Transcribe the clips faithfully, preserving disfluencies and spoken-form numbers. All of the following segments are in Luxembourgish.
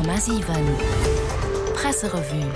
Komma siwen Presserevue.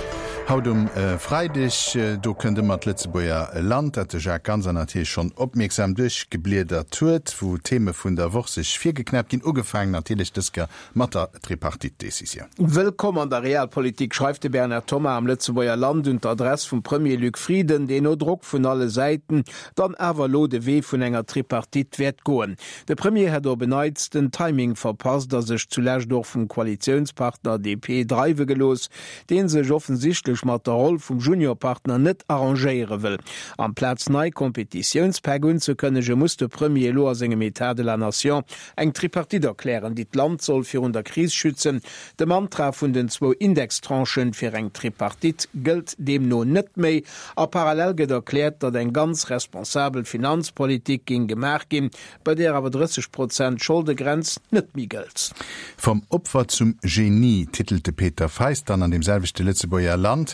Haut um Freideg, do kënnt ëmmer d'Lëtzebuerger Land, dat de Jacques Ganser natierlech schonn opmierksam duerchgebliedert huet, wou d'Theme vun der Woch sech virgeknäppt ginn, ugefaangen natierlech dës Kéier mat der Tripartite-Decisioun. Wëllkomm an der Realpolitik, schreift de Bernard Thomas am Lëtzebuerger Land un d'Adress vum Premier Luc Frieden, deen no Drock vun alle Säiten dann awer elo de Wee vun enger Tripartite wäert goen. De Premier hätt op en Neits den Timing verpasst a sech zulescht och vum Koalitiounspartner D P dreiwe gelooss, dee sech offensichtlech mat der Roll vum Juniorpartner net arrangéiere wëll. Amplaz nei Kompetitiounspäck unzekënnege, muss de Premier elo a sengem État de la Nation eng Tripartite erklären, déi d'Land soll virun der Kris schützen. De Mantra vun den zwou Indextranchen fir eng Tripartite gëllt deemno net méi. A parallel gëtt erkläert, datt eng ganz responsabel Finanzpolitik géing gemaach ginn, bei där awer drësseg Prozent Scholdegrenz net méi gëllt. Vom Opfer zum Genie titelt de Peter Feist dann an deem selwechte Lëtzebuerger Land.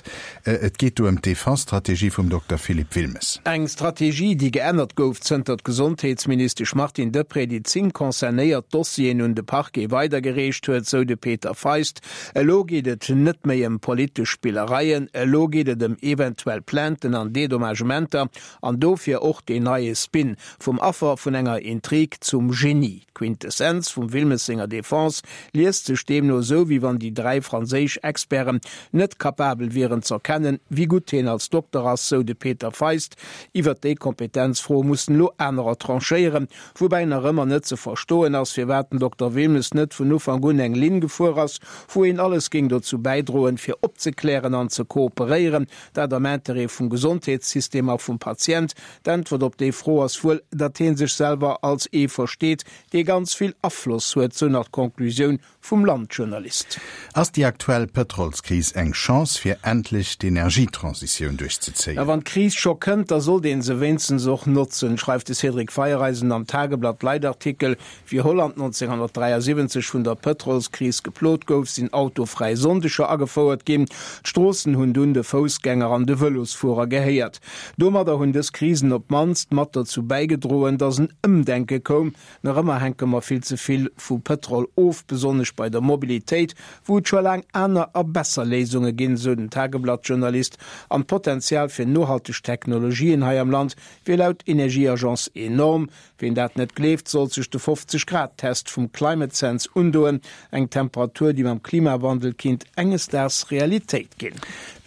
Et geet do ëm d'Defense-Strategie vum Dokter Philippe Wilmes. Eng Strategie, déi geännert gouf, zënter d'Gesondheetsministesch Martine Deprez déi zéng concernéiert Dossieren un de Parquet weidergereecht huet, sou de Peter Feist. Elo geet et net méi ëm politesch Spillereien, elo geet et ëm eventuell Plainten an Dedommagementer an dofir och deen neie Spin, vum Affer vun enger Intrig zum Genie. D'Quintessenz vum Wilmes senger Defense liest sech deemno esou, wéi wann déi dräi franséisch Experten net kapabel wieren z'erkennen, wéi gutt hien als Dokter ass, sou de Peter Feist. Iwwert déi Kompetenzfro mussen elo anerer tranchéieren, woubäi nach ëmmer net ze verstoen ass, firwat den Dokter Wilmes net vun Ufank un eng Linn gefuer ass, wou een alles géing dozou bäidroen, fir opzeklären an ze kooperéieren, dat am Interêt vum Gesondheetssystem a vum Patient. D'Äntwert op déi Fro ass wuel, datt hie sech selwer als ee versteet, dee ganz vill Afloss huet, sou nach d'Conclusioun vum Land-Journalist. Ass déi aktuell Pëtrolskris eng Chance, fir endlech d'Energietransitioun duerchzezéien? A wann d'Kris scho kënnt, da sollt ee se wéinstens och notzen, schreift de Cédric Feiereisen am Tageblatt-Leitartikel. Wéi Holland nonzénghonnertdräiasiwwenzeg vun der Pëtrolskris geplot gouf, sinn autofräi Sonndeger agefouert ginn. D'Stroossen hunn dunn de Foussgänger an de Vëlosfuerer gehéiert. Domadder hunn dës Krisen op d'mannst mat dozou bäigedroen, datt en Ëmdenke koum. Nach ëmmer hänke mer vill ze vill vu Pëtrol of, besonnesch bei der Mobilitéit, wou et scho laang aner a besser Léisunge ginn, sou den Tageblatt-Journalist. An d'Potenzial fir nohalteg Technologien hei am Land wier laut Energieagence enorm. Ween dat net gleeft, sollt sech de fofzeg Grad Test vum Climate Sense undoen, eng Temperatur, déi mam Klimawandel kinnt enges Daags Realitéit ginn.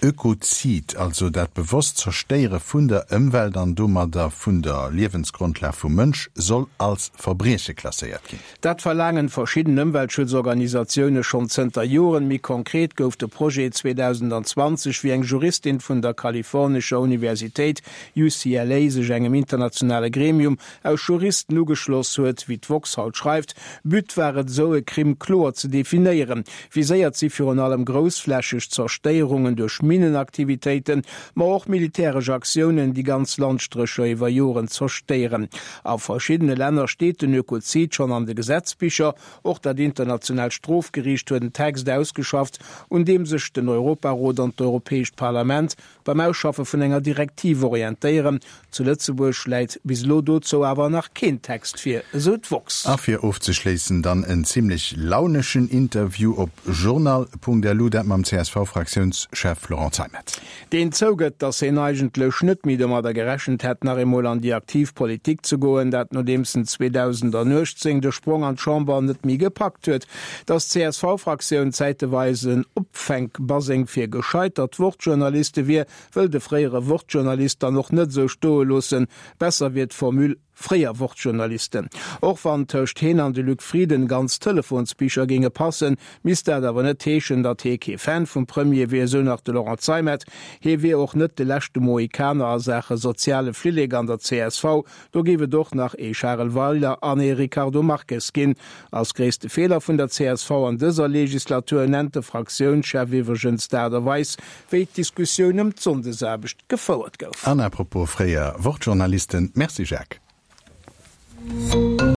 Ökozid, also dat bewosst Zerstéiere vun der Ëmwelt an domadder vun der Liewensgrondlag vum Mënsch, soll als Verbrieche klasséiert ginn. Dat verlaangen verschidden Ëmweltschutzorganisatioune schonn zënter Joren. Méi konkret gouf de Projet zweedausendanzwanzeg, wéi eng Juristin vun der kalifornescher Universitéit U C L A sech engem internationale Gremium aus Juristen ugeschloss huet, wéi d'woxx haut schreift. But war et, esou e Crime kloer ze definéieren. Viséiert si virun allem groussflächeg Zerstéierungen duerch Minenaktivitéiten, ma och militäresch Aktiounen, déi ganz Landstrécher iwwer Joren zerstéieren. A verschiddene Länner steet den Ökozid schonn an de Gesetzbicher. Och dat internationaalt Strofgeriicht huet en Text ausgeschafft, un deem sech den Europarot an d'Europäescht Parlament beim Ausschaffe vun enger Direktiv orientéieren. Zu Lëtzebuerg läit bis elo dozou awer nach keen Text vir, esou d'woxx. A fir ofzeschléissen dann en zimmlech launeschen Interview op journal punkt L U, dat mam C S V-Fraktiounschef Florent Zeimet. Deen zougëtt, datt hien eigentlech net méi domadder gerechent hätt, nach eemol an déi aktiv Politik ze goen, dat nodeems en zweedausendanuechtzéng de Sprong an d'Chamber net méi gepackt huet. Datt d'C S V-Fraktioun zäiteweis en Opfänkbaseng fir gescheitert Wortjournaliste wier, wëll de fréiere Wortjournalist dann och net esou stoe loossen. Besser wier d'Formule fréier Wortjournalisten. Och wann tëscht heen an de Luc Frieden ganz Telefonsbicher géinge passen, misst dat awer net heeschen, datt hee kee Fan vum Premier wier, esou nach de Laurent Zeimet. Hee wier och net de leschte Mohikaner a Saache soziale Flillek an der C S V. Do géif et och nach ee Charel Weiler an ee Ricardo Marques ginn. Als gréisste Feeler vun der C S V an dëser Legislatur nennt de Fraktiounschef iwwregens d'Aart a Weis, wéi d'Diskussioun ëm d'Sonndesaarbecht gefouert gouf. An apropos fréier Wortjournalisten, merci Jacques.